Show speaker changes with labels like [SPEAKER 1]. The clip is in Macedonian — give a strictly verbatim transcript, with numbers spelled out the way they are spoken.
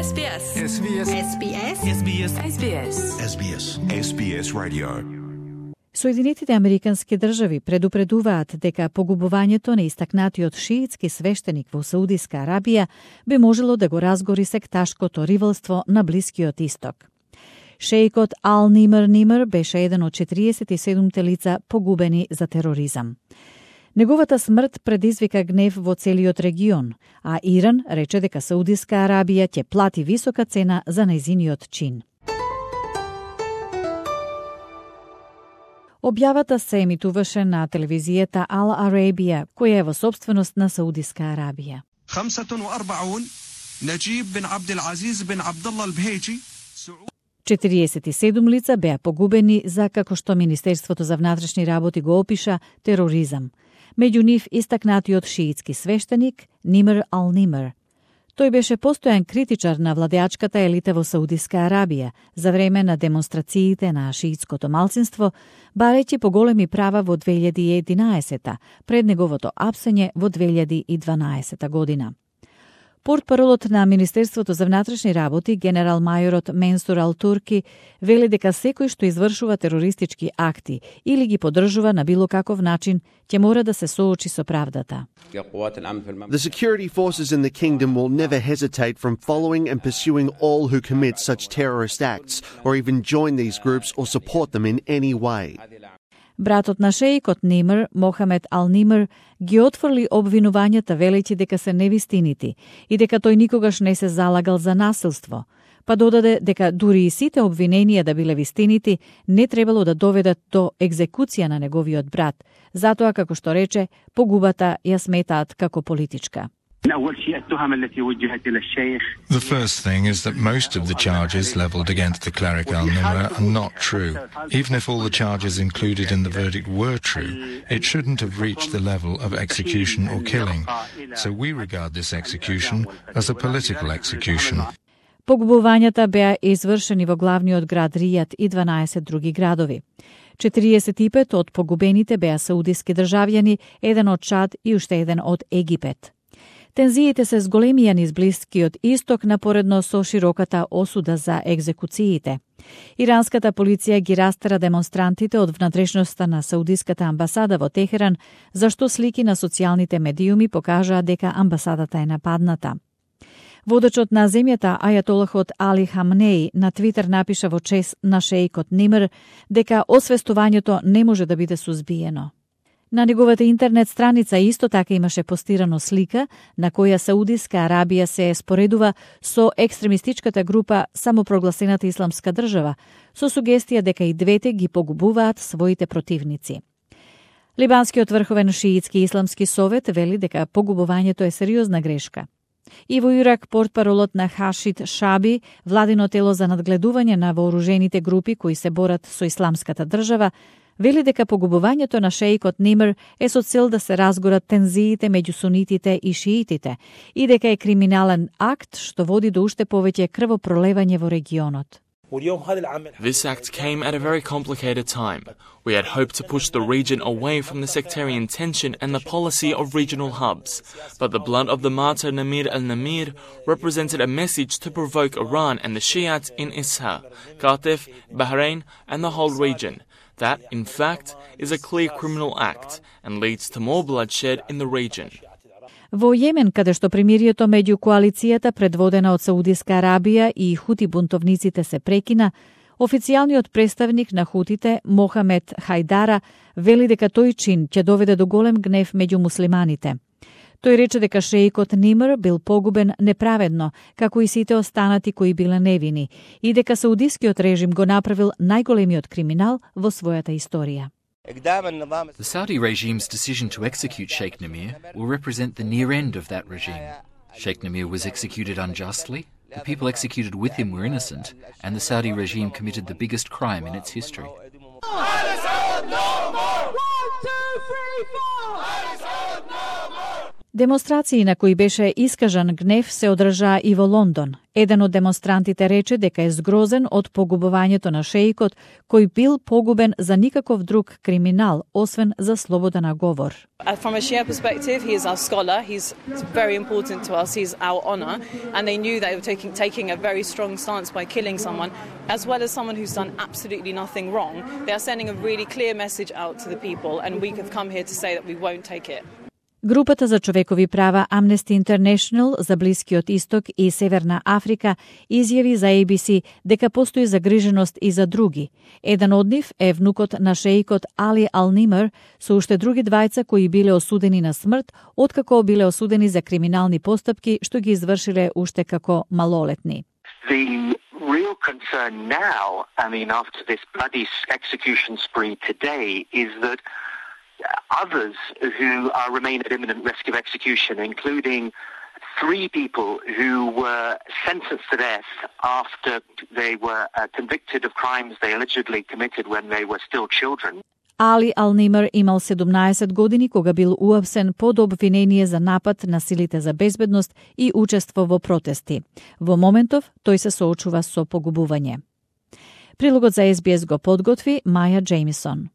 [SPEAKER 1] S B S.
[SPEAKER 2] S B S.
[SPEAKER 1] S B S. S B S. S B S.
[SPEAKER 2] S B S. S B S Radio.
[SPEAKER 3] Соединетите Американски држави предупредуваат дека погубувањето на истакнатиот шиитски свештеник во Саудиска Арабија би можело да го разгори секташкото ривалство на Блискиот Исток. Шејкот Ал Нимер Нимер беше еден од четириесет и седумте лица погубени за тероризам. Неговата смрт предизвика гнев во целиот регион, а Иран рече дека Саудиска Арабија ќе плати висока цена за нејзиниот чин. Објавата се емитуваше на телевизијата Ал Арабија, која е во собственост на Саудиска Арабија. четириесет и седум лица беа погубени за, како што Министерството за внатрешни работи го опиша, тероризам. Меѓу нив истакнатиот шиитски свештеник Нимер Ал Нимер. Тој беше постојан критичар на владеачката елита во Саудиска Арабија за време на демонстрациите на шиитското малцинство, барејќи поголеми права во две илјади и единаесета, пред неговото апсење во две илјади и дванаесета година. Портпаролот на Министерството за внатрешни работи, генерал мајорот Менсур Ал Турки, вели дека секој што извршува терористички акти или ги поддржува на било каков начин, ќе мора да се соочи со правдата.
[SPEAKER 4] The security forces in the kingdom will never hesitate from following and pursuing all who commit such terrorist acts or even join these groups or support them in any way.
[SPEAKER 3] Братот на шејкот Нимер, Мохамед Ал Нимер, ги отфрли обвинувањата велејќи дека се невистинити и дека тој никогаш не се залагал за насилство, па додаде дека дури и сите обвиненија да биле вистинити, не требало да доведат до екзекуција на неговиот брат, затоа, како што рече, погубата ја сметаат како политичка.
[SPEAKER 2] The first thing is that most of the charges levelled against the cleric Al Nimr are not true. Even if all the charges included in the verdict were true, it shouldn't have reached the level of execution or killing. So we regard this execution as a political execution.
[SPEAKER 3] Погубувањата беа извршени во главниот град Ријад и дванаесет други градови. четириесет и пет од погубените беа саудиски државјани, еден од Чад и уште еден од Египет. Тензиите се зголемија низ Блискиот Исток напоредно со широката осуда за екзекуциите. Иранската полиција ги растера демонстрантите од внатрешноста на Саудиската амбасада во Техеран, зашто слики на социјалните медиуми покажаа дека амбасадата е нападната. Водачот на земјата, ајатолахот Али Хамнеи, на Твитер напиша во чест на шејкот Нимер дека освестувањето не може да биде сузбиено. На неговата интернет страница исто така имаше постирано слика на која Саудиска Арабија се споредува со екстремистичката група самопрогласената Исламска држава, со сугестија дека и двете ги погубуваат своите противници. Либанскиот врховен шиитски исламски совет вели дека погубувањето е сериозна грешка. И во Ирак портпаролот на Хашид Шаби, владино тело за надгледување на вооружените групи кои се борат со Исламската држава, вели дека погубувањето на шејкот Нимер е со цел да се разгорат тензиите меѓу сунитите и шиитите и дека е криминален акт што води до уште повеќе крвопролевање во регионот.
[SPEAKER 5] This act came at a very complicated time. We had hoped to push the region away from the sectarian tension and the policy of regional hubs, but the blood of the martyr Namir al-Namir represented a message to provoke Iran and the Shiites in Isha, Qatif, Bahrain, and the whole region. That, in fact, is a clear criminal act and leads to more bloodshed in the region.
[SPEAKER 3] Во Јемен, каде што примирието меѓу коалицијата предводена од Саудиска Арабија и хути бунтовниците се прекина, официјалниот представник на хутите Мохамед Хајдара вели дека тој чин ќе доведе до голем гнев меѓу муслиманите. Тој рече дека шејкот Нимер бил погубен неправедно, како и сите останати кои биле невини, и дека саудискиот режим го направил најголемиот криминал во својата историја.
[SPEAKER 6] The Saudi regime's decision to execute Sheikh Namir will represent the near end of that regime. Sheikh Namir was executed unjustly, the people executed with him were innocent, and the Saudi regime committed the biggest crime in its history.
[SPEAKER 3] Демонстрации на кои беше искажан гнев се одржаа и во Лондон. Еден од демонстрантите рече дека е згрозен од погубувањето на шеикот, кој бил погубен за никаков друг криминал, освен за слобода на говор.
[SPEAKER 7] From a Shia perspective, he is our scholar. He's very important to us. He's our honor. And they knew they were taking, taking a very strong stance by killing someone, as well as someone who's done absolutely nothing wrong. They are sending a really clear message out to the people, and we have come here to say that we won't take it.
[SPEAKER 3] Групата за човекови права Amnesty International за Блискиот Исток и Северна Африка изјави за A B C дека постои загриженост и за други. Еден од нив е внукот на шеикот Али Ал-Нимер со уште други двајца кои биле осудени на смрт, откако биле осудени за криминални постапки што ги извршиле уште како малолетни.
[SPEAKER 8] The real concern now, I mean, after this bloody execution spree today, is that others who are remain at imminent risk of execution, including three people who were sentenced to death after they were uh, convicted of crimes they allegedly committed when they were still children.
[SPEAKER 3] Али Ал-Нимер имал седумнаесет години кога бил уапсен под обвинение за напад на силите за безбедност и учество во протести. Во моментов тој се соочува со погубување. Прилогот за Ес Би Ес го подготви Маја Джеймисон.